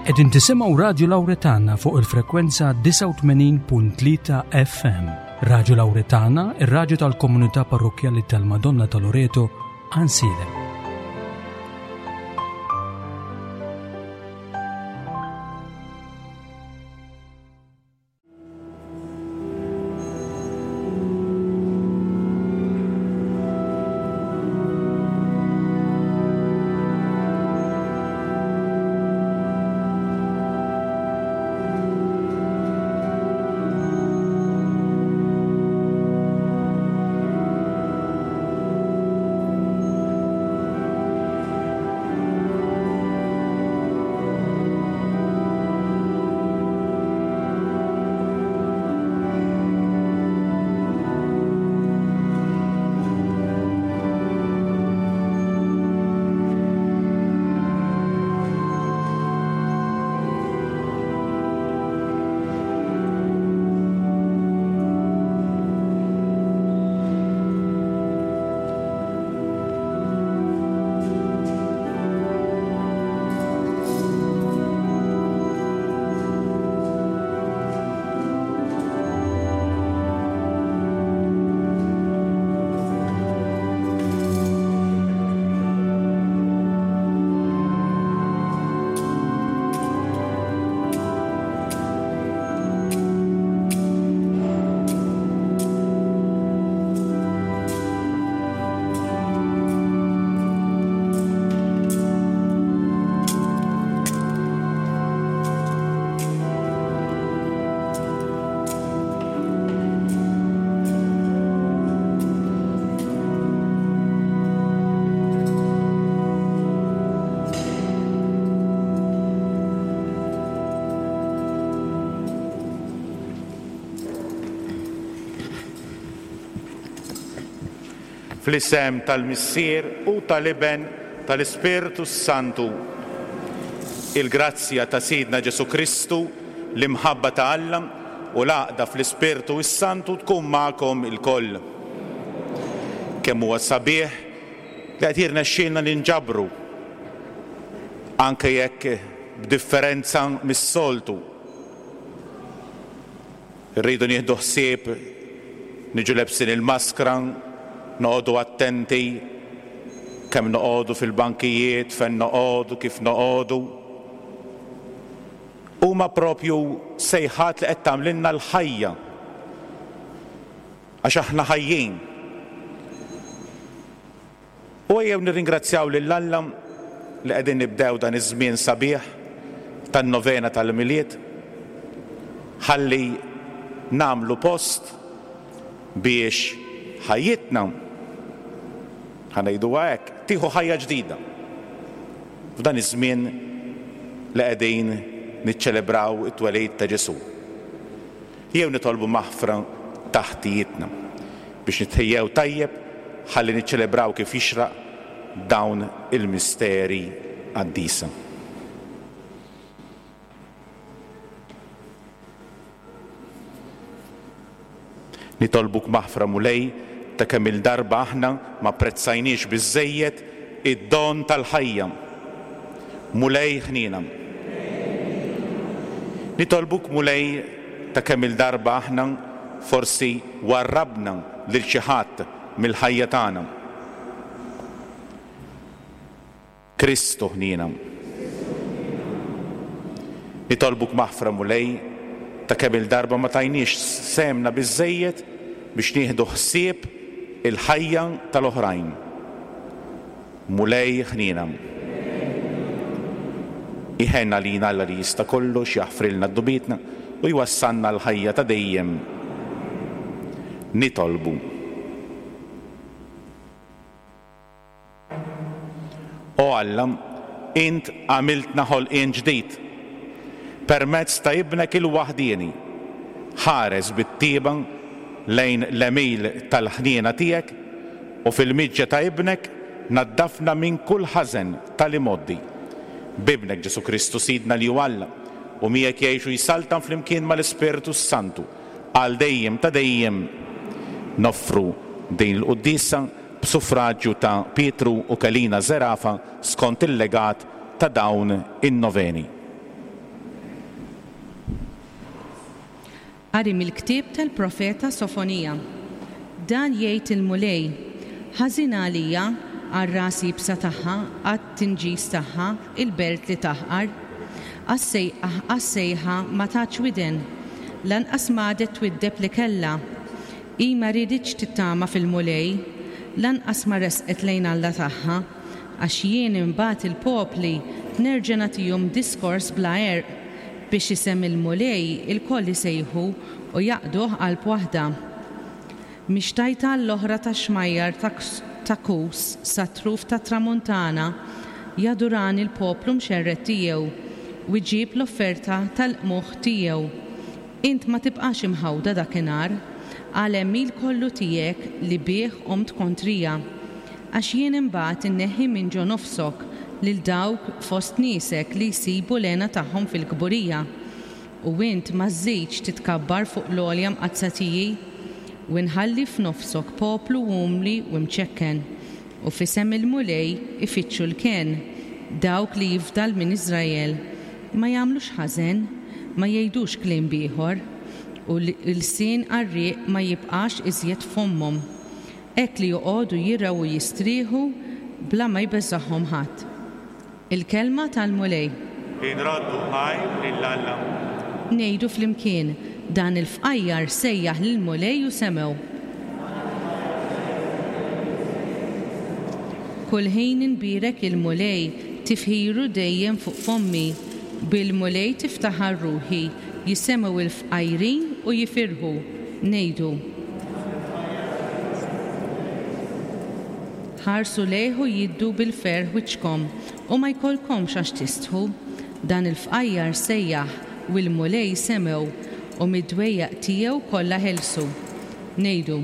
Qegħdin tisimgħu Radju Lawretana fuq il-frekwenza 89.3 FM. Radju Lawretana, ir-radju tal-komunità parrokkjali tal-Madonna ta' Loreto, Għansielem. Fl-isem tal-Missier u tal-Iben tal-Ispirtu s-Santu. Il-grazzja ta' Sidna Ġesù Kristu, l-imħabba ta' Alla u l-għaqda fl-Ispirtu s-Santu tkun magħkom ilkoll. Kemm huwa sabiħ li qed jirnexxielna ninġabru, anke jekk b'differenza mis-soltu. Irridu nieħdu ħsieb niġu lebsin il-maskra, noqogħdu attenti kemm noqogħdu fil-bankijiet, fejn noqogħdu, kif noqogħdu. Huma propju sejħat li qed tagħmlilna l-ħajja għax aħna ħajjin. U ejjew nirringrazzjaw lil Alla li qegħdin nibdew dan iż-żmien sabiħ tan-novena tal-Milied ħalli nagħmlu post biex ħajjitna, ħa ngħiduha hekk, tieħu ħajja ġdida f'dan iż-żmien li qegħdin niċċelebraw it-twelid ta' Ġesù. Jew nitolbu maħfra ta' ħtijietna biex nitħejjew tajjeb ħalli niċċelebraw kif jixraq dawn il-misteri qaddisa. Nitolbuk maħfra Mulej ta' kemm-il darba aħna m'apprezzajniex biżżejjed id-don tal-ħajja. Mulej ħniena. Nitolbuk Mulej ta' kemm-il darba aħna forsi warrabna lil xi ħadd mill-ħajja tagħna. Kristu ħniena. Nitolbuk maħfra Mulej ta' kemm-il darba ma tajniex sehemna biżżejjed biex nieħdu ħsieb il-ħajja tal-oħrajn. Mulej ħniena. Iħenn għalina Alla li jista' kollox, jaħfrilna dnubietna u jwassalna għall-ħajja ta' dejjem. Nitolbu. O Alla, int għamiltna ħolqien ġdid permezz ta' Ibnek il-waħdieni. Ħares bit-tjieba lejn l-għemil tal-ħniena tiegħek u fil-miġja ta' Ibnek naddafna minn kull ħażen tal-imgħoddi. B'Ibnek Ġesù Kristu Sidna li hu Alla u miegħek jgħix u jsaltan flimkien mal-Ispirtu s-Santu għal dejjem ta' dejjem. Noffru din il-quddiesa b'suffraġju ta' Pietru u Kelina Zerafa skont il-legat ta' dawn in-noveni. Qari mill-ktieb tal-profeta Sofonija. Dan jgħid il-Mulej, Ħażin għalija, għar-ras iebsa tagħha, għat-tinġis tagħha, il-belt li taħqar. Għas-sejħa ma tatx widen, lanqas m'għadet twiddeb li kellha. Hi ma rieditx tittama fil-Mulej, lanqas ma resqet lejn Alla tagħha. Għax jien imbagħad il-popli nerġa' nagħtihom diskors bla għerq, biex isem il-Mulej ilkoll isejħu u jaqduh qalb waħda. Mix-xtajta għall-oħra tax-xmajjar ta' Kus sat-truf tat-tramuntana jadurani l-poplu mxerred tiegħu, u jġib l-offerta tal-qmuħ tiegħu. Int ma tibqax imħawda dakinhar, għal-għemil kollu tiegħek li bih qomt kontrija. Għax jien imbagħad inneħħi minn ġo nofsok lil dawk fost niesek li jsibu l-hena tagħhom fil-kburija. U int ma żżidx titkabbar fuq l-għolja mqaddsa tiegħi. U nħalli f'nofsok poplu umli u mċekken, u f'isem il-Mulej ifittxu l-kenn, dawk li jifdal minn Iżrael. Ma jagħmlux ħażen, ma jgħidux kliem b'ieħor, u lsien qarrieq ma jibqax iżjed f'fommhom. Hekk li joqogħdu jirgħu u jistrieħu bla ma jbeżżagħhom ħadd. Il-Kelma tal-Mulej. Inroddu ħajr lil Alla. Ngħidu flimkien, Dan il-fqajjar sejjaħ lill-Mulej u semgħu. Kull ħin inbierek il-Mulej, tifħiru dejjem fuq fommi. Bil-Mulej tiftaħar ruħi, jisemgħu l-fqajrin u jifirħu. Ngħidu. Ħarsu lejh u jiddu bil-ferħ wiċċkom, u ma jkollkomx għax tistħu. Dan il-fqajjar sejjaħ, u l-Mulej semgħu, u mid-dwejjaq tiegħu kollha ħelsu. Ngħidu.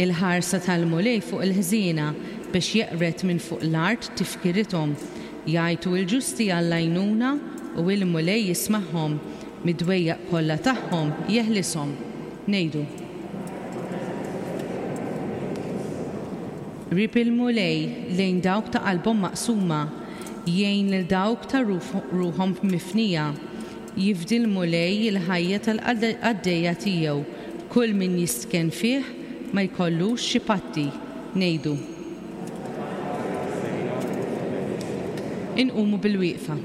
Il-ħarsa tal-Mulej fuq il-ħżiena, biex jeqred minn fuq l-art tifkirithom. Jgħajtu l-ġusti għall-għajnuna, u l-Mulej jismagħhom. Mid-dwejjaq kollha tagħhom jeħlishom. Ngħidu. Qrib il-Mulej lejn dawk ta' qalbhom maqsuma, jgħin lil dawk ta' ruħhom mifnija. Jifdi l-Mulej il-ħajja tal-qaddejja tiegħu, kull min jistkenn fih ma jkollux xi patti. Ngħidu. Inqumu bilwieqfa.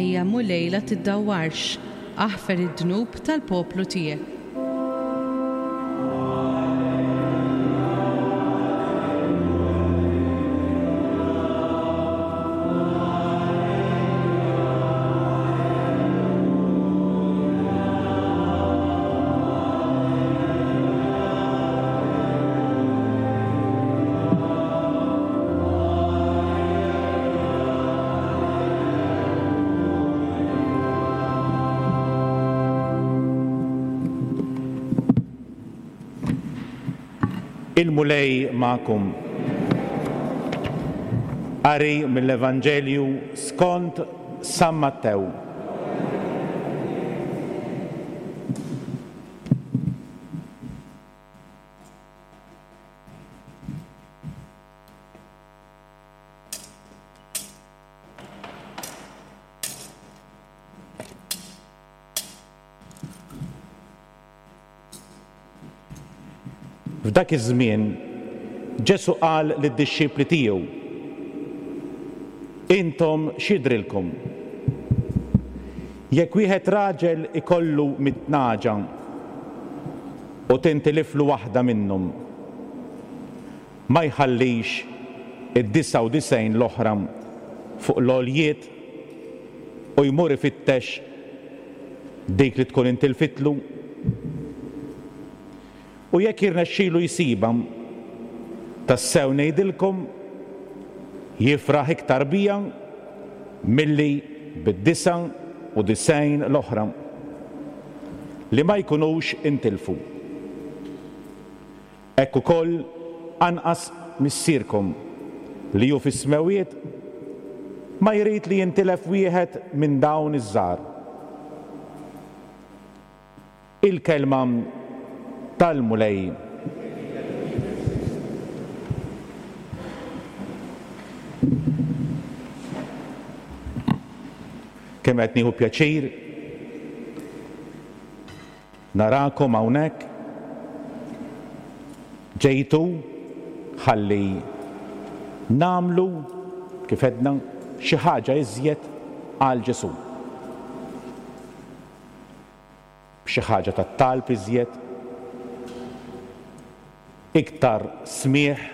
Ejja Mulej la tiddawwarx, aħfer id-dnub tal-poplu tiegħek. Il-Mulej magħkom. Qari mill-Evanġelju skont San Mattew. F'dak iż-żmien, Ġesù qal lid-dixxipli tiegħu, Intom x'jidhrilkom? Jekk wieħed raġel ikollu mit-tnaġa u tintiliflu waħda minnhom, ma jħallix id-99 l-oħra fuq l-għoljiet u jmur ifittex dik li tkun intilfitlu? U jekk jirnexxilu jsibha, tassew ngħidilkom, jifraħ iktar biha milli. Bid-99 l-oħra li ma jkunux intilfu? Hekk ukoll anqas Missierkom li hu fis-smewwiet ma jrid li jintilef wieħed minn dawn iż-żgħar. Il-Kelma tal-Mulej. Kemm qed nieħu pjaċir narakom hawnhekk. Ġejtu ħalli nagħmlu, kif għedna, xi ħaġa iżjed għal Ġesù. B'xi ħaġa ta' talb iżjed, iktar smigħ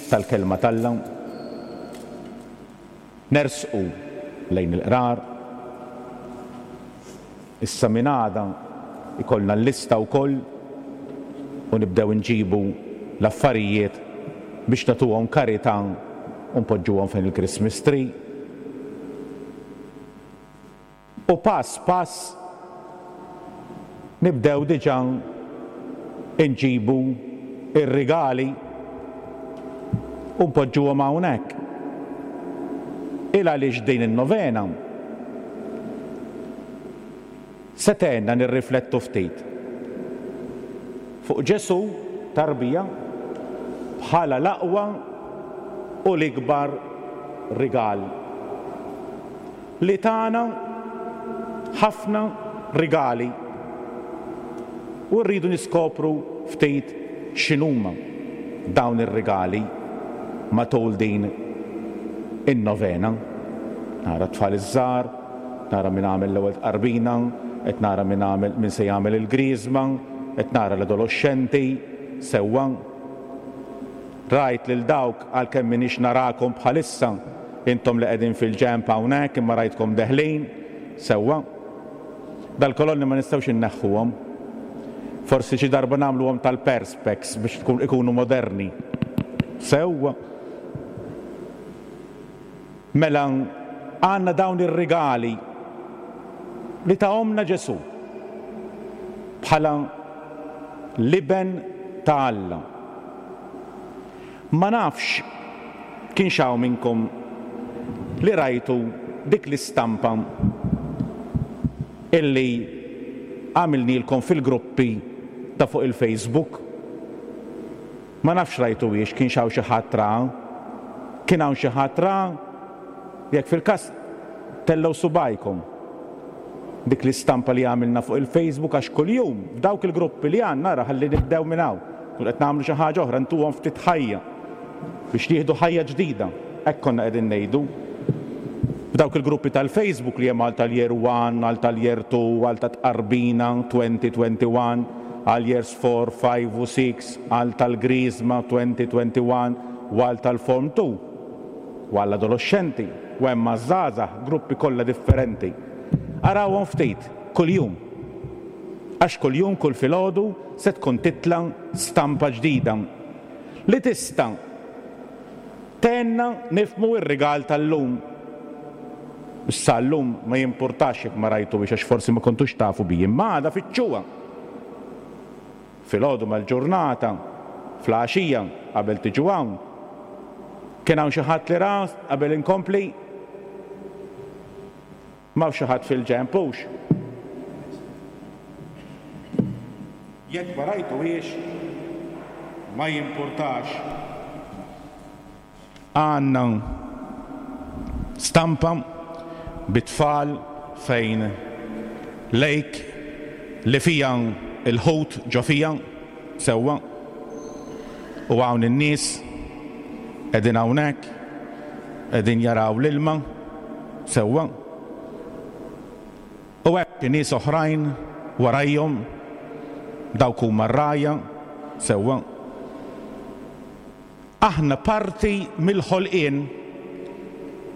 tal-Kelma t'Alla, nersqu lejn il-qrar. Issa minn għada jkollna l-lista wkoll u nibdew inġibu l-affarijiet biex nagħtuhom karità u npoġġuhom fejn il-Christmas tree. U pass pass nibdew diġà nġibu r-rigali u npoġġuhom hawnhekk. Il għaliex din in-novena se tgħinna nirriflettu ftit fuq Ġesù tarbija bħala l-aqwa u l-ikbar rigal. Li tana ħafna rigali u rridu niskopru ftit x'inhuma dawn ir-rigali matul din in-novena. Nara t-tfal iż-żgħar, nara min għamel l-ewwel tqarbina, qed nara min għamel min se jagħmel il-griżma, qed nara l-adoloxxenti, sewwa. Rajt lil dawk, għalkemm m'iniex narakom bħalissa, intom li qegħdin fil-ġenb hawnhekk, imma rajtkom deħlin, sewwa. Dal-kolonni ma nistgħux inneħħuhom. Forsi xi darba nagħmluhom tal-perspex biex tkun ikunu moderni. Sewwa. Mela għandna dawn ir-rigali li tahomlna Ġesù bħala l-Iben ta' Alla. Ma nafx kienx hawn minnkom li rajtu dik l-istampa illi għamilnielkom fil-gruppi ta' fuq il-Facebook. Ma nafx rajtuhiex, kienx hawn xi ħadd ra? Kien hawn xi ħadd ra? Jekk fil-każ, tellgħu subgħajkom. Dik l-istampa li għamilna fuq il-Facebook għax kuljum f'dawk il-gruppi li għandna, ara ħalli nibdew minn hawn, nkunu qed nagħmlu xi ħaġa oħra, ntuhom ftit ħajja biex jieħdu ħajja ġdida. Hekk konna qegħdin ngħidu. F'dawk il-gruppi tal-Facebook li hemm għal tal-Year One, għal tal-Year Two, għal ta' Tqarbina 2021, għal Years Four, Five u Six, għal tal-Griżma 2021 u għal tal-Form Two, u għall-adoloxxenti, u hemm għaż-żgħażagħ, gruppi kollha differenti. Arawhom ftit, kuljum. Għax kuljum, kull filgħodu, se tkun titla' stampa ġdida li tista' Tgħinna nifhmu r-rigal tal-lum. Issa llum ma jimpurtax jekk ma rajtuhiex għax forsi ma kontux tafu bi, imma għada fittxuha. Filgħodu mal-ġurnata, fl-għaxija, qabel tiġu hawn. Kien hawn xi ħadd li ra qabel inkompli? M'hawnx xi ħadd fil-ġenb, hux? Jekk ma rajtuhiex, ma jimpurtax. Għandna stampa bit-tfal fejn lake li fiha l-ħut ġo fiha, sewwa, u hawn in-nies qegħdin hawnhekk, qegħdin jaraw l-ilma. Sewwa. U hemm xi nies oħrajn warajhom, dawk huma r-rgħajja, sewwa. Aħna parti mill-ħolqien,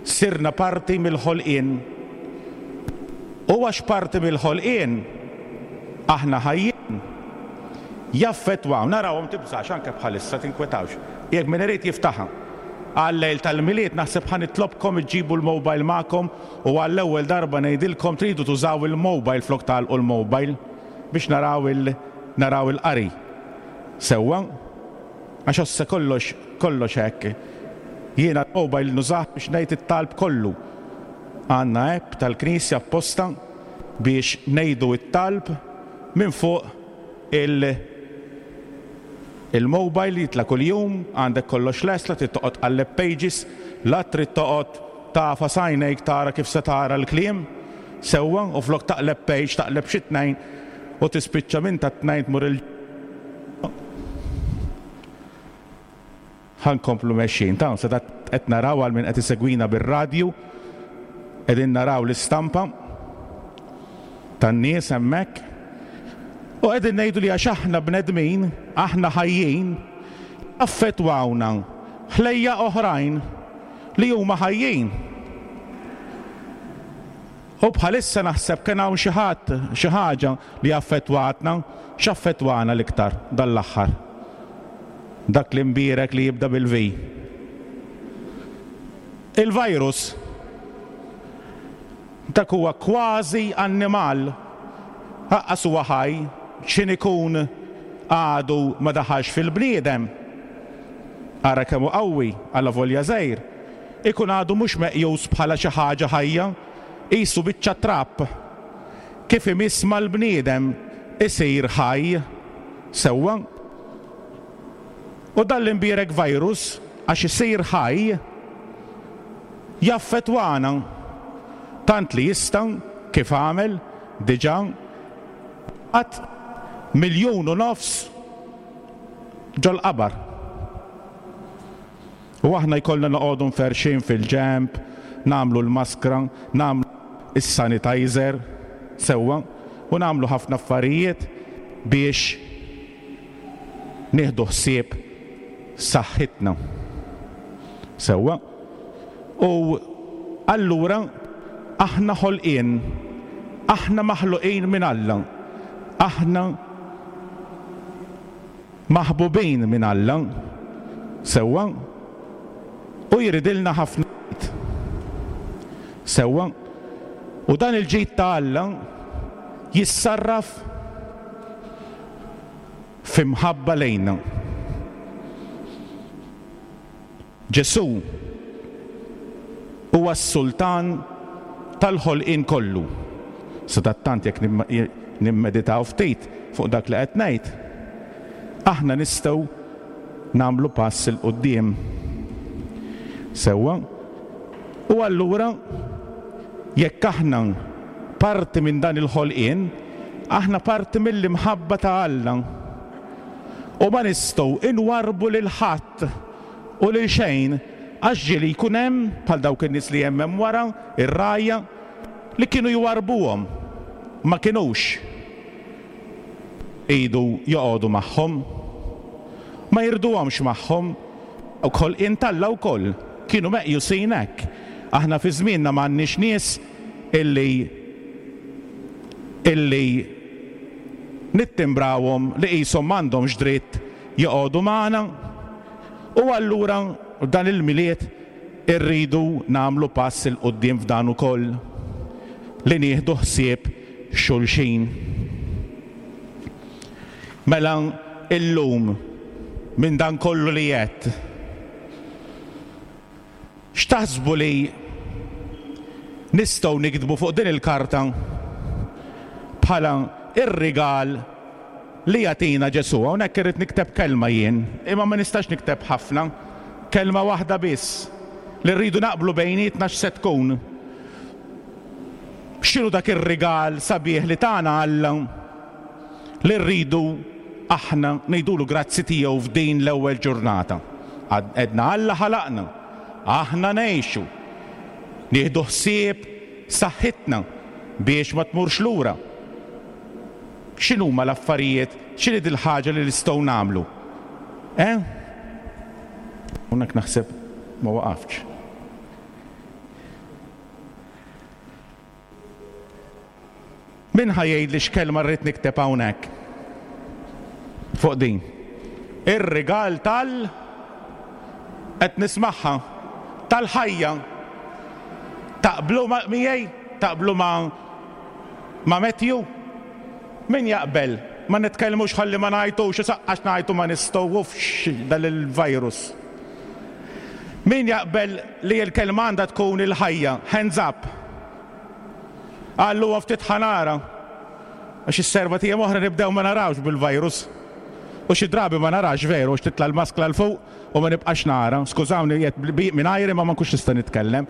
sirna parti mill-ħolqien. U għax parti mill-ħolqien, aħna ħajjin, jaffettwawna, narawhom tibżax anke bħalissa tinkwetawx. Jekk min irid jiftaħha. għal-lejl tal-Milied naħseb ħa nitlobkom iġġibu l-mobile magħkom u għall-ewwel darba ngħidilkom tridu tużaw il-mobile flok tagħlqu l-mobile biex naraw il naraw il-qari. Sewwa? Għax ossa kollox kollox hekk. Jiena l-mobile nużah biex ngħid it-talb kollu. Għandna app tal-Knisja apposta biex ngħidu t-talb minn fuq il il-mobile jitla' kuljum, għandek kollox lest, la trid toqgħod tqalleb pages, la trid toqgħod tagħfas għajnejk tara kif se tara l-kliem sewwa u flok taqleb page taqleb xi tnejn u tispiċċa minn tat-tnejn tmur il Ħa nkomplu mexjin. Ta' se qed naraw għal min qed isegwina bir-radju, qegħdin naraw l-istampa tan-nies hemmhekk. U qegħdin ngħidu li għax aħna bnedmin, aħna ħajjin, affettwawna ħlejjaq oħrajn li huma ħajjin. U bħalissa naħseb kien hawn xi ħadd, xi ħaġa li affettwatna. X'affettwana l-iktar dan l-aħħar? Dak l-imbierek li jibda bil-V. Il-virus. Dak huwa kważi annimal. Aqqas huwa ħaj, x'in ikun għadu ma daħalx fil-bniedem. Ara kemm hu qawwi, allavolja żgħir. Ikun għadu mhux meqjus bħala xi ħaġa ħajja, qisu biċċa trab. Kif imiss mal-bniedem isir ħaj. Sewwa? U dan l-imbierek virus, għax isir ħaj, jaffettwana tant li jista', kif għamel diġà, jibgħat 1.5 miljun ġol-qabar. U aħna jkollna noqogħdu mferrxin fil-ġenb, nagħmlu l-maskra, nagħmlu s-sanitizer, sewwa, u nagħmlu ħafna affarijiet biex nieħdu ħsieb saħħitna. Sewwa? U allura aħna ħolqien, aħna maħluqin minn Alla, aħna Maħbubin minn Alla, sewwa, u jridilna ħafna ġid. Sewwa, u dan il-ġid ta' Alla jissarraf fi mħabba lejna. Ġesù huwa s-Sultan tal-ħolqien kollu. Sadattant jekk nimmeditaw ftit fuq dak li qed ngħid, aħna nistgħu nagħmlu pass 'il quddiem. Sewwa? U allura jekk aħna parti minn dan il-ħolqien, aħna parti mill-imħabba ta' Alla. U ma nistgħu inwarrbu lil ħadd u lil xejn għax ġieli jkun hemm, bħal dawk in-nies li hemm hemm wara, ir-rgħajja, li kienu jwarrbuhom, ma kinux iridu joqogħdu magħhom, ma jriduhomx magħhom, dawk ħolqien t'Alla wkoll kienu meqjusin hekk. Aħna fi żmienna m'għandniex nies illi illi nittimbrawhom li qishom m'għandhomx dritt joqogħdu magħna u allura f'dan il-Milied irridu nagħmlu pass 'il quddiem f'dan ukoll, li nieħdu ħsieb xulxin. Mela illum minn dan kollu li għedt, X'taħsbu li nistgħu niktbu fuq din il-karta bħala r-rigal li jagħtina Ġesù? Hawnhekk irrid nikteb kelma jien, imma ma nistax nikteb ħafna, kelma waħda biss li rridu naqblu bejnietna x'se tkun. X'inhu dak ir-rigal sabiħ li tana Alla li rridu aħna ngħidulu grazzi tiegħu f'din l-ewwel ġurnata. Għedna Alla ħalaqna, aħna ngħixu, nieħdu ħsieb saħħitna biex ma tmurx lura. X'inhuma l-affarijiet, x'inhi dil-ħaġa li nistgħu nagħmlu? Eh? Hawnhekk naħseb ma waqaftx. Min ħa jgħidli x'kelma rrid nikteb hawnhekk? Fuq din. Ir-rigal tal. Qed nismagħha. Tal-ħajja. Taqblu ma' miegħi? Taqblu ma' ma' Matthew? Min jaqbel? Ma nitkellmux ħalli ma ngħajtux u saqqax ngħajtu ma nistgħu uffx dan il-virus. Min jaqbel li l-kelma għandha tkun il-ħajja? Hands up. Qallu ftit ħa nara. Għax is-serba t'ijiem oħra nibdew ma narawx bil-virus. U xi drabi ma narax veru għax titla' l-maskla 'l fuq u ma nibqax nara. Skużawni qiegħed mingħajri ma ma nkunx nista' nitkellem.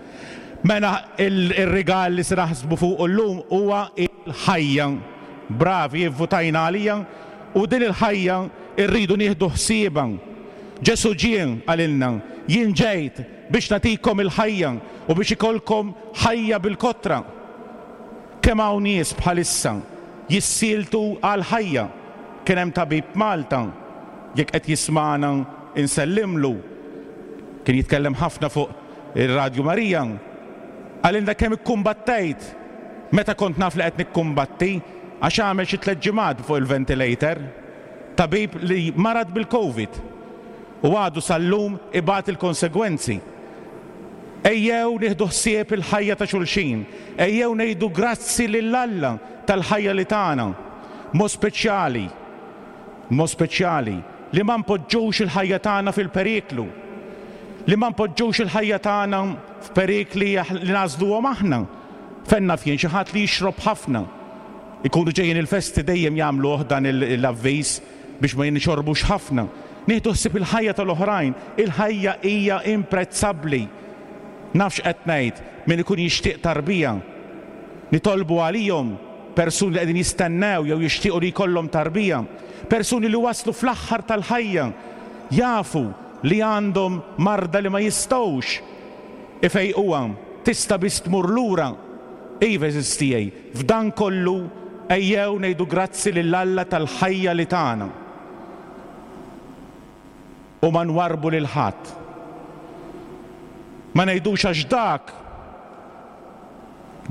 Mela ir-rigal li se naħsbu fuqu llum huwa l-ħajja. Bravi, ivvutajna għalija u din il-ħajja rridu nieħdu ħsiebha. Ġesù ġie, qalilna, jien ġejt biex nagħtikom il-ħajja u biex ikollkom ħajja bil-kotra. Kemm hawn nies bħalissa jissieltu għall-ħajja. Kien hemm tabib Malta, jekk qed jismagħna insellimlu, kien jitkellem ħafna fuq ir-Radju Marija, qalilna kemm ikkumbattejt meta kont naf li qed nikkumbatti għax għamel xi tlett ġimgħat fuq il-ventilator. Tabib li marad bil-Covid u għadu sal-lum ibati l-konsegwenzi. Ejjew nieħdu ħsieb il-ħajja ta' xulxin. Ejjew ngħidu grazzi lil Alla tal-ħajja li tana. B'mod speċjali, b'mod speċjali, li ma npoġġux il-ħajja tagħna fil-periklu. Li ma npoġġux il-ħajja tagħna f'perikli li nagħżluhom aħna. Fejn naf jien xi ħadd li jixrob ħafna. Ikunu ġejjin il-festi dejjem jagħmluh dan l-avviż biex ma nixorbux ħafna. Nieħdu ħsieb il-ħajja tal-oħrajn. Il-ħajja hija imprezzabbli. Naf x'qed ngħid, min ikun jixtieq tarbija. Nitolbu għalihom, persuni li qegħdin jistennew jew jixtiequ li jkollhom tarbija. Persuni li waslu fl-aħħar tal-ħajja, jafu li għandhom marda li ma jistgħux ifejquha, tista' biss tmur lura. Iva, għeżież tiegħi, f'dan kollu ejjew ngħidu grazzi lil Alla tal-ħajja li tana. U ma nwarrbu lil ħadd. Ma ngħidux għax dak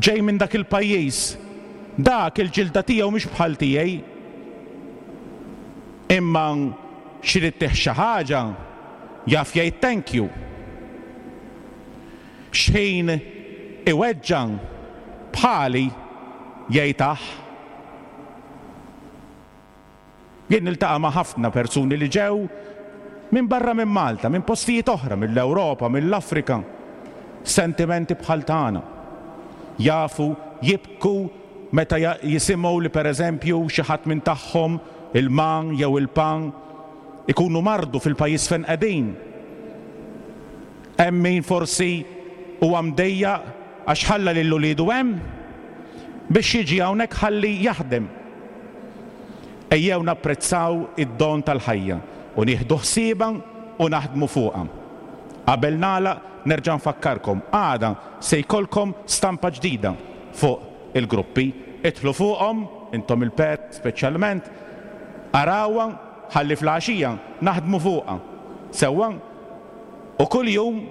ġej minn dak il-pajjiż, dak il-ġilda tiegħu mhix bħal tiegħi. Imma xi rid xi ħaġa jaf jgħid thank you. X'ħin iweġġa' bħali jgħid aħ. Jien niltaqa' ma' ħafna persuni li ġew minn barra minn Malta, minn postijiet oħra, mill-Ewropa, mill-Afrika. Sentimenti bħal tagħna. Jafu jibku meta jisimgħu li pereżempju xi ħadd minn tagħhom, il-ma jew il-pa, ikunu mardu fil-pajjiż fejn qegħdin. Hemm min forsi huwa mdejjaq għax ħalla lil uliedu hemm biex jiġi hawnhekk ħalli jaħdem. Ejjew napprezzaw id-don tal-ħajja u nieħdu ħsiebha u naħdmu fuqha. Qabel nagħlaq nerġa' nfakkarkom, għada se jkollkom stampa ġdida fuq il-gruppi. Idħlu fuqhom, intom il-parents speċjalment, arawha ħalli fl-għaxija naħdmu fuqha. Sewwa? U kuljum,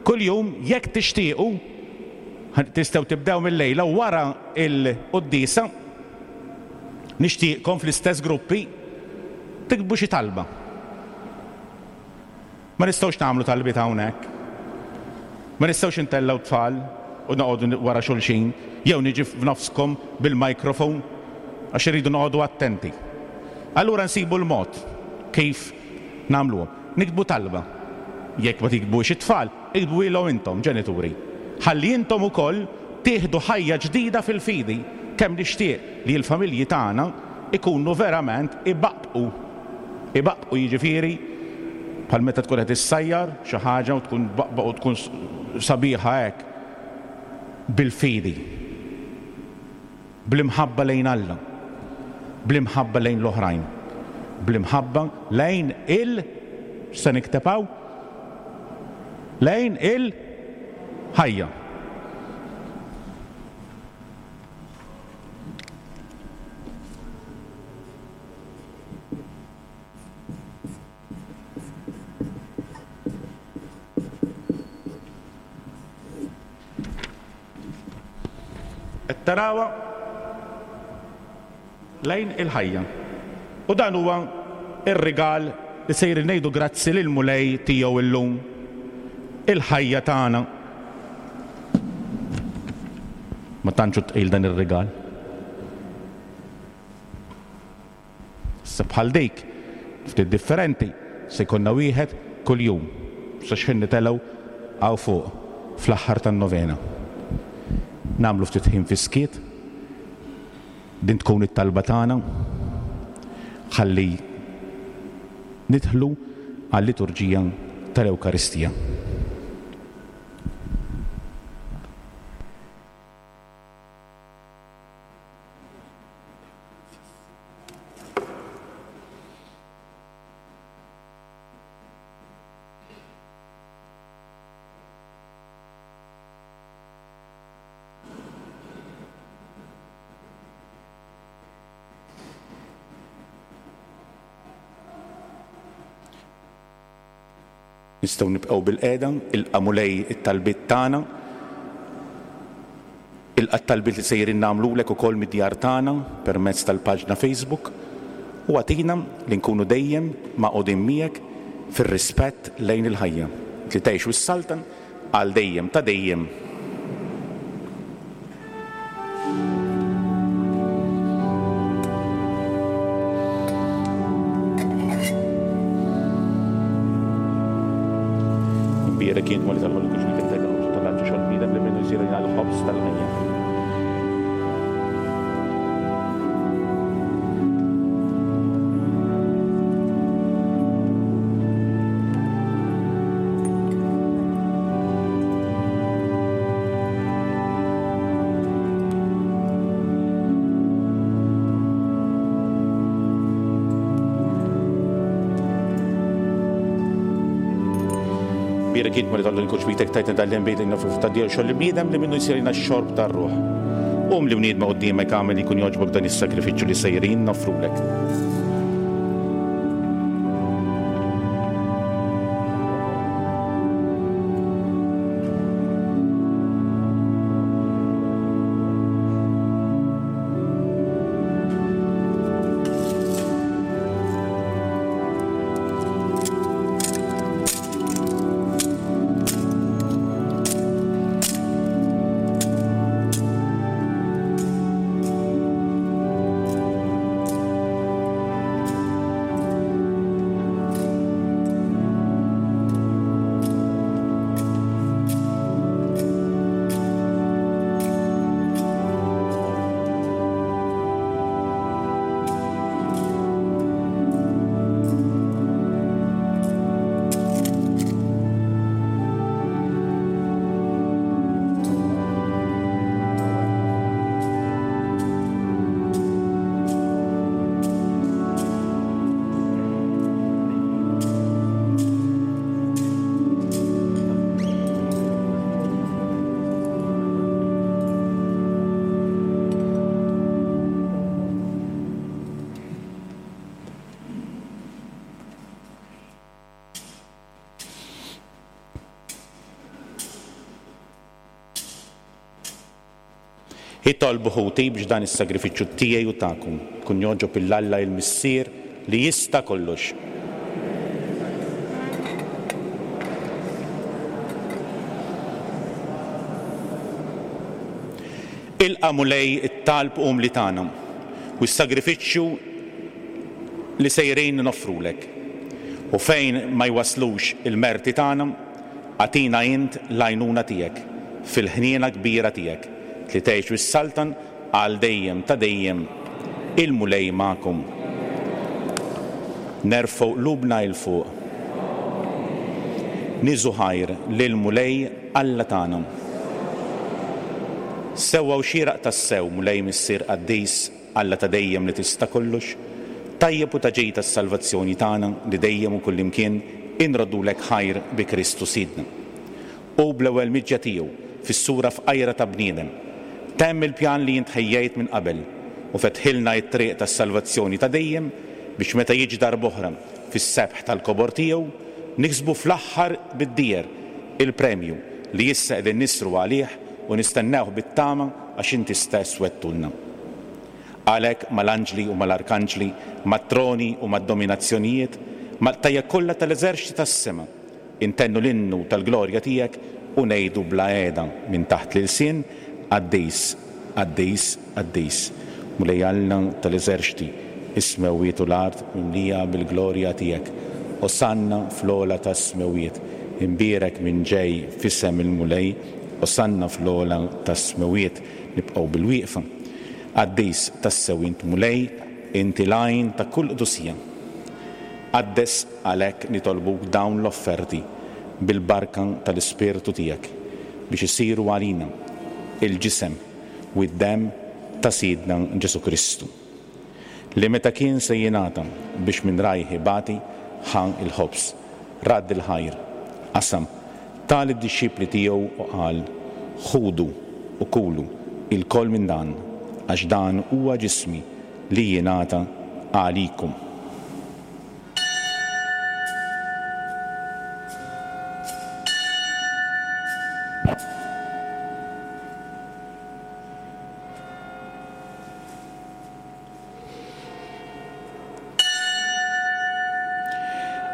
kuljum, jekk tixtiequ, tistgħu tibdew mil-lejla u wara l-quddiesa, nixtieqkom fl-istess gruppi tiktbu xi talba. Ma nistgħux nagħmlu talbiet hawnhekk. Ma nistgħux intellgħu tfal u noqogħdu wara xulxin jew niġi f'nofskom bil-microphone għax irridu noqogħdu attenti. Allura nsibu l-mod kif nagħmluhom. Niktbu talba. Jekk ma tiktbuhiex it-tfal, iktbuhielhom intom, ġenituri. Ħalli intom ukoll tieħdu ħajja ġdida fil-fidi. Kemm nixtieq li l-familji tagħna jkunu verament ibaqbqu. Ibaqbqu jiġifieri bħal meta tkun qed issajjar xi ħaġa u tkun tbaqbaq u tkun sabiħa hekk bil-fidi. Bl-imħabba lejn Alla, bl-imħabba lejn l-oħrajn, bl-imħabba lejn il, x'se nikteb hawn? Lejn il-ħajja. Qed tarawha lejn il-ħajja. U dan huwa r-rigal li sejrin ngħidu grazzi lill-Mulej tiegħu llum, il-ħajja tagħna. Ma tantx hu tqil dan ir-rigal. Issa bħal dik, ftit differenti, se jkollna wieħed kuljum sa x'ħin nitelgħu hawn fuq fl-aħħar tan-novena. Nagħmlu ftit ħin fis-skiet, din tkun it-talba tagħna ħalli nidħlu għal-liturġija tal-Ewkaristija. Nistgħu nibqgħu bilqiegħda, ilqa' Mulej it-talbiet tagħna. Ilqa' t-talbiet li sejrin nagħmlulek ukoll mid-djar tagħna permezz tal-paġna Facebook u agħtina li nkunu dejjem magħqudin miegħek fir-rispett lejn il-ħajja, li tgħix u ssaltan għal dejjem ta' dejjem. Imbierek int Mulej tal-ħolqien kull xi fidek il-ħobż tal-art u xogħol bniedem li minnu jsir għalina l-ħobż tal-ħajja. Bierek int Mulej tal-ħolqien kull xbitek tajtna dan l-inbid li nofru ta' xogħol il-bniedem li minnu jsir x-xorb tar-ruħ. Qum li bniedma quddiemek agħmel li jkun jogħġbok dan is-sagrifiċċju li sejrin noffrulek. Itolbu ħuti biex dan is-sagrifiċċju tiegħi u tagħkom ikun jogħġob 'il Alla il-Missier li jista' kollox. Ilqa' Mulej it-talb umli tagħna u s-sagrifiċċju li sejrin noffrulek. U fejn ma jwasslux il-merti tagħna, agħtina int l-għajnuna tiegħek fil-ħniena kbira tiegħek, li tgħix u ssaltan għal dejjem ta' dejjem. Il-Mulej magħkom. Nerfgħu qlubna 'l fuq. Niżu ħajr lill-Mulej Alla tagħna. Sewwa u xieraq tassew, Mulej Missier qaddis, Alla ta' dejjem li tista' kollox, tajjeb u ta' ġid għas-salvazzjoni tagħna li dejjem u kullimkien inroddulek ħajr bi Kristu Sidna. Hu bl-ewwel miġja tiegħu fis-sura fqajra ta' bniedem, temm il-pjan li int ħejjejt minn qabel u fetħilna t-triq tas-salvazzjoni ta' dejjem biex meta jiġi darb'oħra fis-sebħ tal-kobor tiegħu, niksbu fl-aħħar bid-dieher il-premju li issa qegħdin nisru għalih u nistennewh bit-tama għax inti stess wegħdtulna. Għalhekk mal-anġli u mal-arkanġli, mat-troni u mad-dominazzjonijiet, Mal-qtajja' kollha tal-eżerċti tas-sema, intennu l-innu tal-glorja tiegħek u ngħidu bla heda minn taħt l-ilsien, Qaddis, qaddis, qaddis, Mulej Alla tal-eżerċti, is-smewwiet u l-art mimlija bil-glorja tiegħek. Osanna fl-ogħla tas-smewwiet. Imbierek min ġej f'isem il-Mulej, Osanna fl-ogħla tas-smewwiet. Nibqgħu bilwieqfa. Qaddis tassew int Mulej, inti l-għajn ta' kull qdusija. Qaddes għalhekk nitolbuk dawn l-offerti bil-barka tal-Ispirtu tiegħek biex isiru għalina l-ġisem u d-demm ta' Sidna Ġesù Kristu, li meta kien se jingħata biex minn rajh ibati, ħa l-ħobż, radd il-ħajr, qasam, ta lid-dixxipli tiegħu u qal, Ħudu u kulu ilkoll minn dan, għax dan huwa ġismi li jingħata għalikom.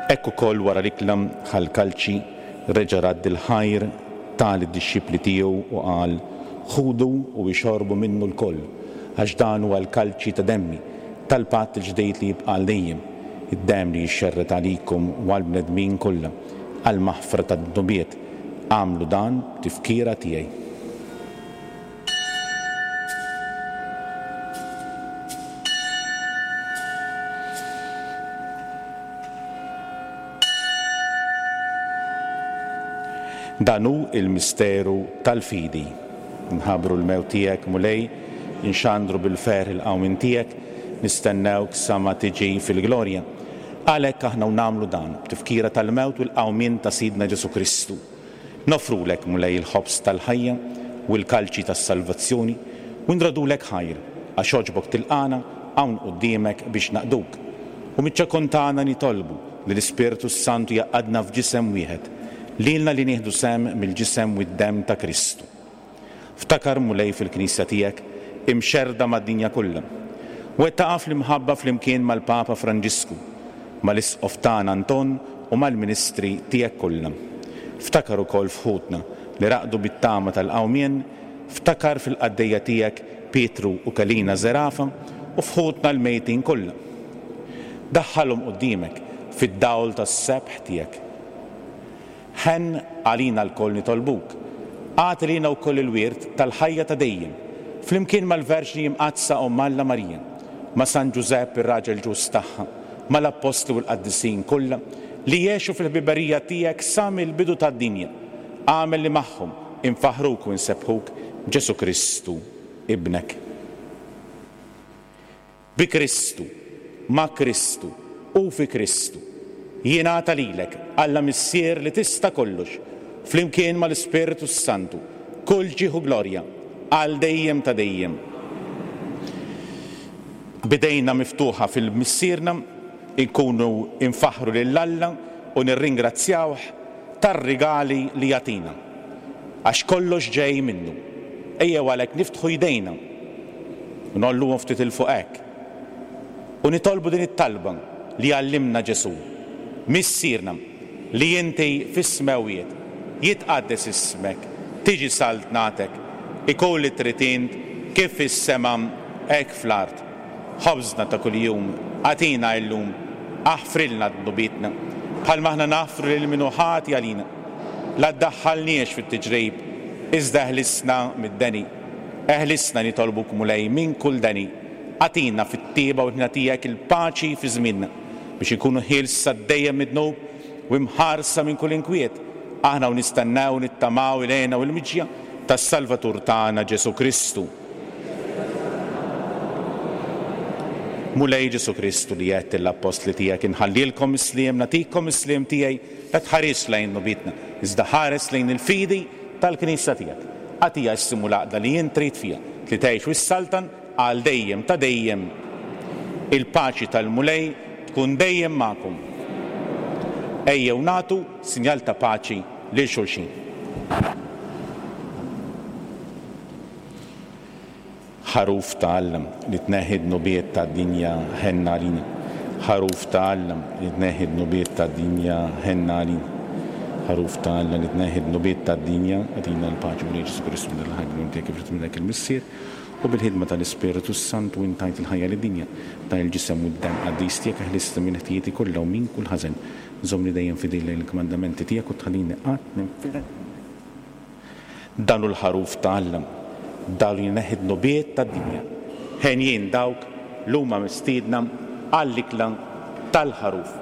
Hekk ukoll wara l-ikla ħa l-kalċi, reġa' radd il-ħajr, ta lid-dixxipli tiegħu u qal, Ħudu u ixorbu minnu lkoll, għax dan huwa l-kalċi ta' demmi, tal-patt il-ġdid li jibqa' għal dejjem, id-demm li jixxerred għalikom u għall-bnedmin kollha, għall-maħfra tad-dnubiet. Agħmlu dan b'tifkira tiegħi. Dan hu l-misteru tal-fidi. Nħabbru l-mewt tiegħek, Mulej, inxandru bil-ferħ il-qawmien tiegħek, nistennewk sa ma tiġi fil-glorja. Għalhekk aħna u nagħmlu dan, b'tifkira tal-mewt u l-qawmien ta' Sidna Ġesù Kristu. Noffrulek, Mulej, il-ħobż tal-ħajja u l-kalċi tas-salvazzjoni, u nrodulek ħajr, għax għoġbok tilqagħna hawn quddiemek biex naqduk. U miċ-ċokon tagħna nitolbu li l-Ispirtu s-Santu jgħaqqadna f'ġisem wieħed, lilna li nieħdu sehem mill-ġisem u d-demm ta' Kristu. Ftakar, Mulej, fil-Knisja tiegħek, imxerrda mad-dinja kollha. Wettaqha fl-imħabba flimkien mal-Papa Franġisku, mal-Isqof tagħna Anton u mal-ministri tiegħek kollha. Ftakar ukoll f'ħutna li raqdu bit-tama tal-qawmien, ftakar fil-qaddejja tiegħek Pietru u Kelina Zerafa u f'ħutna l-mejtin kollha. Daħħalhom quddiemek fid-dawl tas-sebħ tiegħek. Ħenn għalina lkoll nitolbuk. Agħti lilna wkoll il-wirt tal-ħajja ta' dejjem, flimkien mal-Verġni Imqaddsa Omm Alla Marija, ma' San Ġużepp ir-raġel ġust tagħha, mal-Appostli u l-qaddisin kollha li għexu fil-ħbiberija tiegħek sa mill-bidu tad-dinja. Agħmel li magħhom infaħħruk u nsebbħuk b'Ġesù Kristu, Ibnek. Bi Kristu, ma' Kristu, u fi Kristu, jingħata lilek, Alla Missier li tista' kollox, flimkien mal-Ispirtu s-Santu, kull ġieħ u glorja, għal dejjem ta' dejjem. B'idejna miftuħa fil-Missierna, inkunu nfaħħru lil Alla u nirringrazzjawh tar-rigali li jagħtina, għax kollox ġej minnu. Ejjew għalhekk niftħu jdejna u ngħolluhom ftit 'il fuq hekk u nitolbu din it-talba li għallimna Ġesù, Missierna li inti fis-smewwiet, jitqaddes ismek, tiġi saltnatek, ikun li trid int kif fis-sema hekk fl-art. Ħobżna ta' kuljum agħtina illum, aħfrilna dnubietna, bħalma aħna naħfru lil min hu ħati għalina. La ddaħħalniex fit-tiġrib, iżda eħlisna mid-deni. Eħlisna, nitolbuk, Mulej, minn kull deni. Agħtina fit-tjieba u l-ħniena tiegħek il-paċi fi żmienna, biex inkunu ħielsa dejjem mid-dnub u imħarsa minn kull inkwiet, aħna u nistennew u nittamaw il-hena u l-miġja tas-Salvatur tagħna Ġesù Kristu. Mulej Ġesù Kristu li għedt lill-appostli tiegħek inħallilkom is-sliem, nagħtikom is-sliem tiegħi, la tħarisx lejn dnubietna, iżda ħares lejn il-fidi tal-Knisja tiegħek. Agħtiha s-sliem u l-għaqda li int trid fiha, li tgħix u ssaltan għal dejjem ta' dejjem. Il-paċi tal-Mulej tkun dejjem magħkom. Ejjew nagħtu sinjal ta' paċi lil xulxin. Ħaruf ta' Alla, li tneħħi d-dnubiet tad-dinja, ħenn għalina. Ħaruf ta' Alla li tneħħi d-dnubiet tad-dinja, ħenn għalina. Ħaruf ta' Alla li tneħħi d-dnubiet tad-dinja, agħtina l-paċi. Mulej Ġesù Kristu, minn il-ħaj bl-unur tiegħek kif ridt minnek il-Missier, u bil-ħidma tal-Ispirtu s-Santu int tajt il-ħajja lid-dinja. Dan il-Ġisem u d-Demm qaddis tiegħek eħlisni minn ħtijieti kollha u minn kull ħażen. Żommni dejjem fidil lejn il-kmandamenti tiegħek u tħallini qatt ninfired minnek. Dan hu l-Ħaruf ta' Alla, dan li jneħħi d-dnubiet tad-dinja. Henjin dawk li huma mistiedna għall-ikla tal-Ħaruf.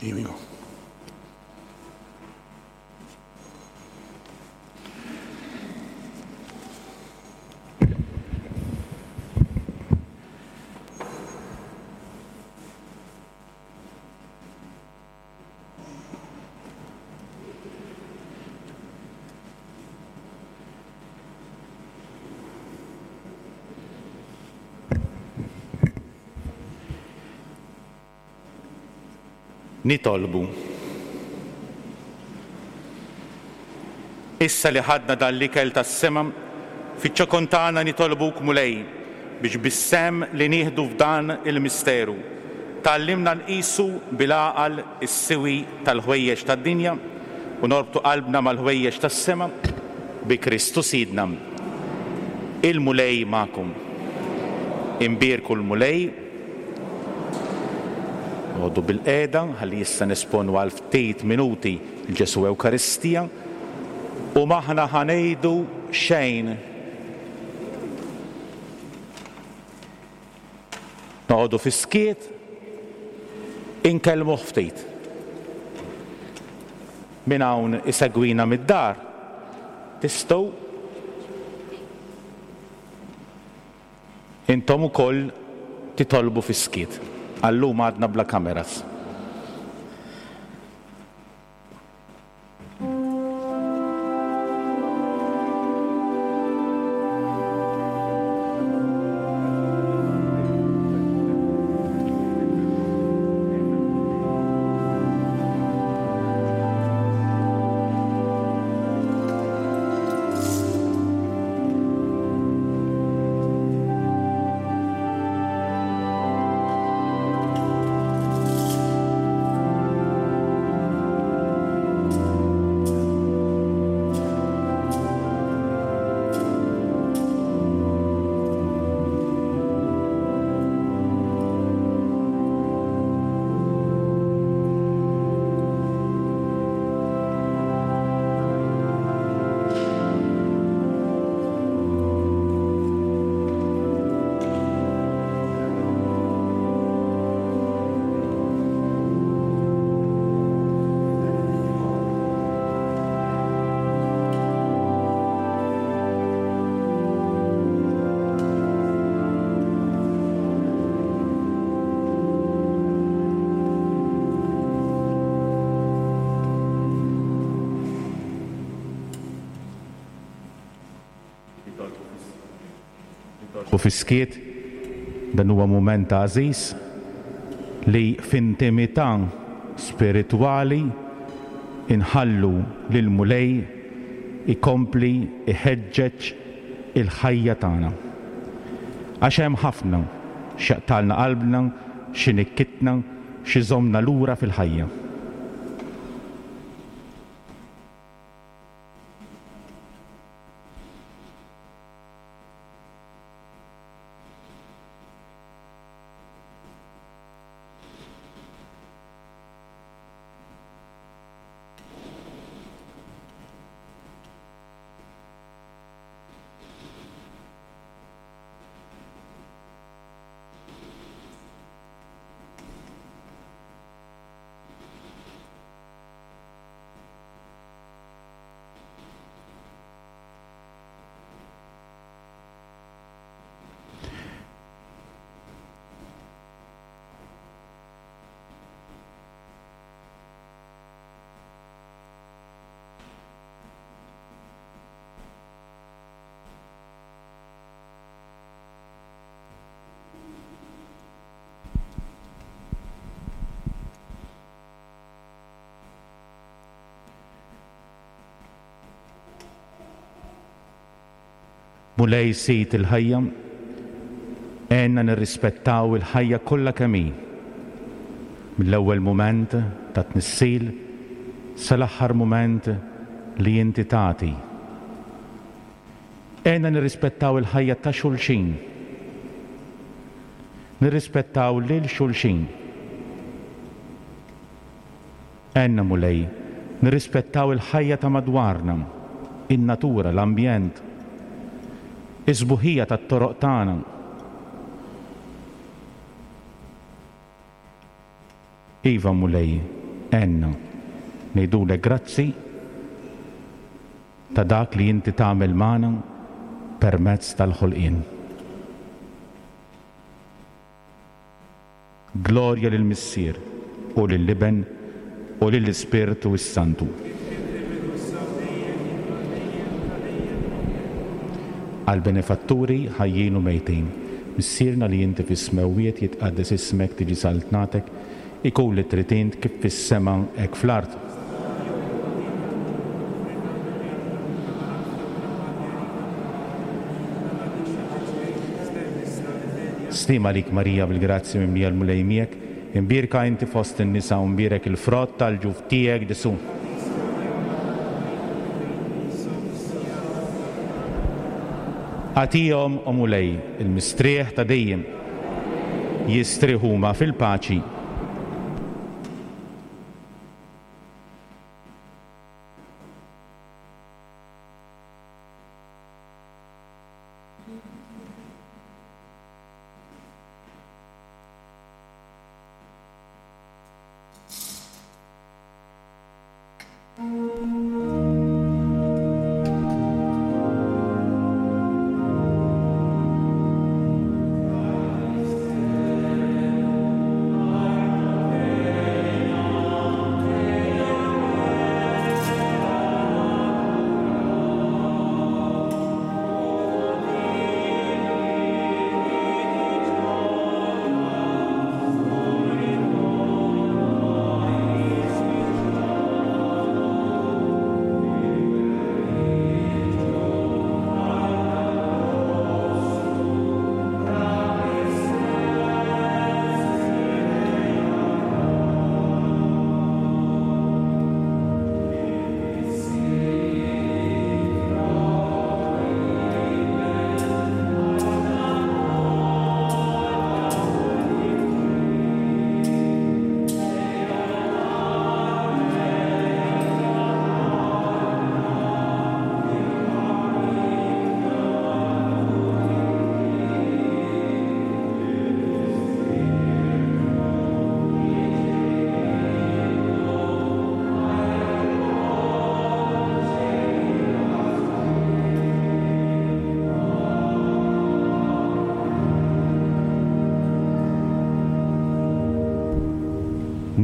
Here we go. Nitolbu. Issa li ħadna dan l-ikel tas-sema, fiċ-ċokon tagħna nitolbuk Mulej biex bis-sehem li nieħdu f'dan il-misteru, tgħallimna nqisu bil-għaqal is-siwi tal-ħwejjeġ tad-dinja u norbtu qalbna mal-ħwejjeġ tas-sema, bi Kristu Sidna. Il-Mulej magħkom. Imbierku l-Mulej. Noqogħdu bilqiegħda ħalli issa nesponu għal ftit minuti 'l Ġesù Ewkaristija u m'aħna ħa ngħidu xejn. Noqogħdu fis-skiet, inkellmuh ftit. Min hawn isegwina mid-dar, tistgħu intom ukoll titolbu fis-skiet. Għal-lum għadna bla kameras. U fis-skiet, dan huwa mument għażiż li f'intimità spiritwali nħallu lill-Mulej ikompli jħeġġeġ il-ħajja tagħna. Għax hemm ħafna x'jaqtgħalna qalbna, x'inikkitna, x'iżommna lura fil-ħajja. Mulej Sid il-ħajja, għenna nirrispettaw il-ħajja kollha kemm hi, mill-ewwel mument tat-tnissil. sal-aħħar mument li inti tagħti. Għinna nirrispettaw il-ħajja ta' xulxin. Nirrispettaw lil xulxin. Għinna Mulej nirrispettaw il-ħajja ta' madwarna, in-natura, l-ambjent, is-sbuħija tat-toroq tagħna. Iva Mulej, għinna ngħidulek grazzi ta' dak li inti tagħmel magħna permezz tal-ħolqien. Glorja lill-Missier, u lill-Iben, u lill-Ispirtu s-Santu. Għall-benefatturi ħajjin u mejtin. Missierna li inti fis-smewwiet, jitqaddes ismek, tiġi saltnatek, ikun li trid int kif fis-sema hekk fl-art. Sliem għalik Marija bil-grazzja mimlija l-Mulej miegħek, imbierka inti fost in-nisa u mbierek il-frott tal-ġuf tiegħek Ġesù. Agħtihom, o Mulej, il-mistrieħ ta' dejjem. Jistrieħu huma fil-paċi.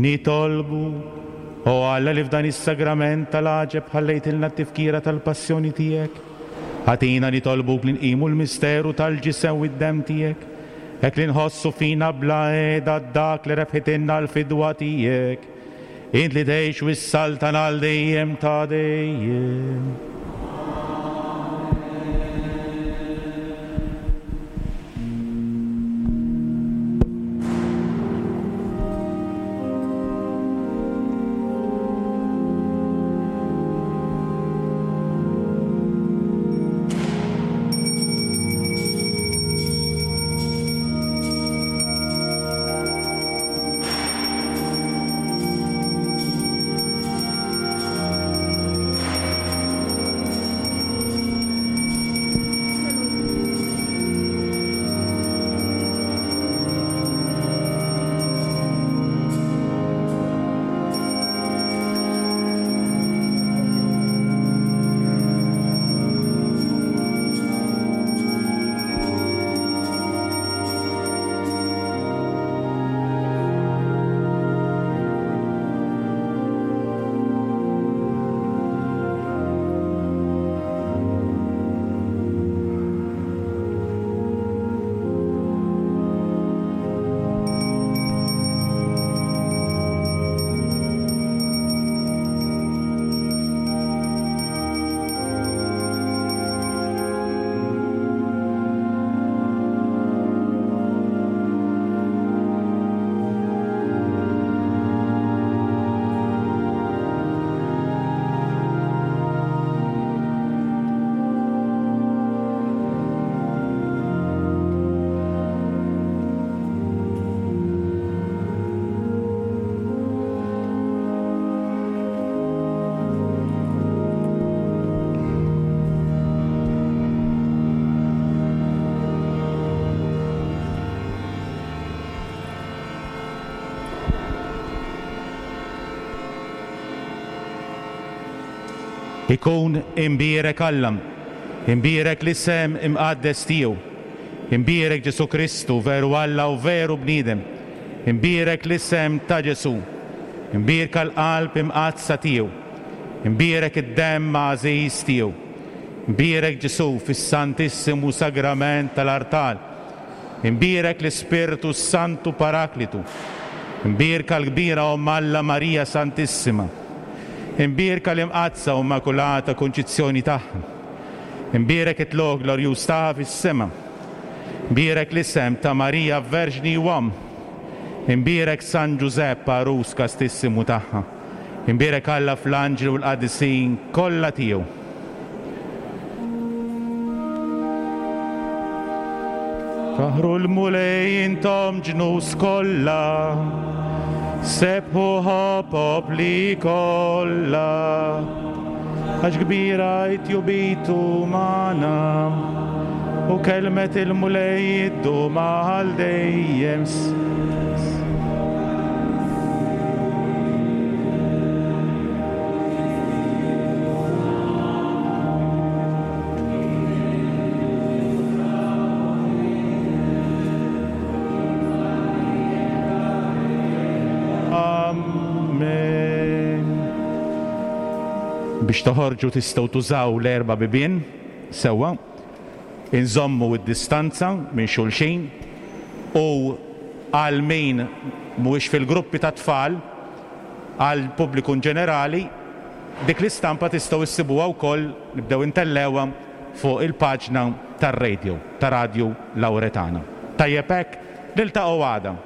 Nitolbu, O Alla li f'dan is-sagrament tal-għaġeb ħallejtilna t-tifkira tal-passjoni tiegħek, agħtina nitolbuk li nqimu l-misteru tal-ġisem u d-demm tiegħek, hekk li nħossu fina bla qiegħda dak li rebħitilna l-fidwa tiegħek, int li tgħix u ssaltan għal dejjem ta' dejjem. Ikun imbierek Alla, imbierek l-isem imqaddes tiegħu. Imbierek Ġesù Kristu, veru Alla u veru bniedem. Imbierek l-isem ta' Ġesù. Imbierka l-Qalb Imqaddsa tiegħu. Imbierek id-Demm għażiż tiegħu. Imbierek Ġesù fis-Santissimu Sagrament tal-Artal. Imbierek l-Ispirtu s-Santu Paraklitu. Imbierka l-kbira Omm Alla Marija Santissima. Imbierka l-Imqaddsa u Immakulata Kunċizzjoni tagħha. Imbierek it-tlugħ glorjuż tagħha fis-sema. Imbierek l-isem ta' Marija Verġni u Omm. Imbierek San Ġużepp għarus kastissimu tagħha. Imbierek Alla fl-anġli u l-qaddisin kollha tiegħu. Faħħru l-Mulej intom ġnus kollha, sebbħuh o popli kollha. Għax kbira hi tjubitu magħna, u kelmet il-Mulej iddum għal dejjem. Amen. Biex toħorġu tistgħu tużaw l-erba' bibien sewwa. Inżommu d-distanza minn xulxin u għal min mhuwiex fil-gruppi tat-tfal, għall-pubbliku inġenerali, dik l-istampa tistgħu issibuha wkoll, nibdew intellgħuha fuq il-paġna tar-radio, ta' Radju Lauretana. Tajjeb hekk? Niltaqgħu għada.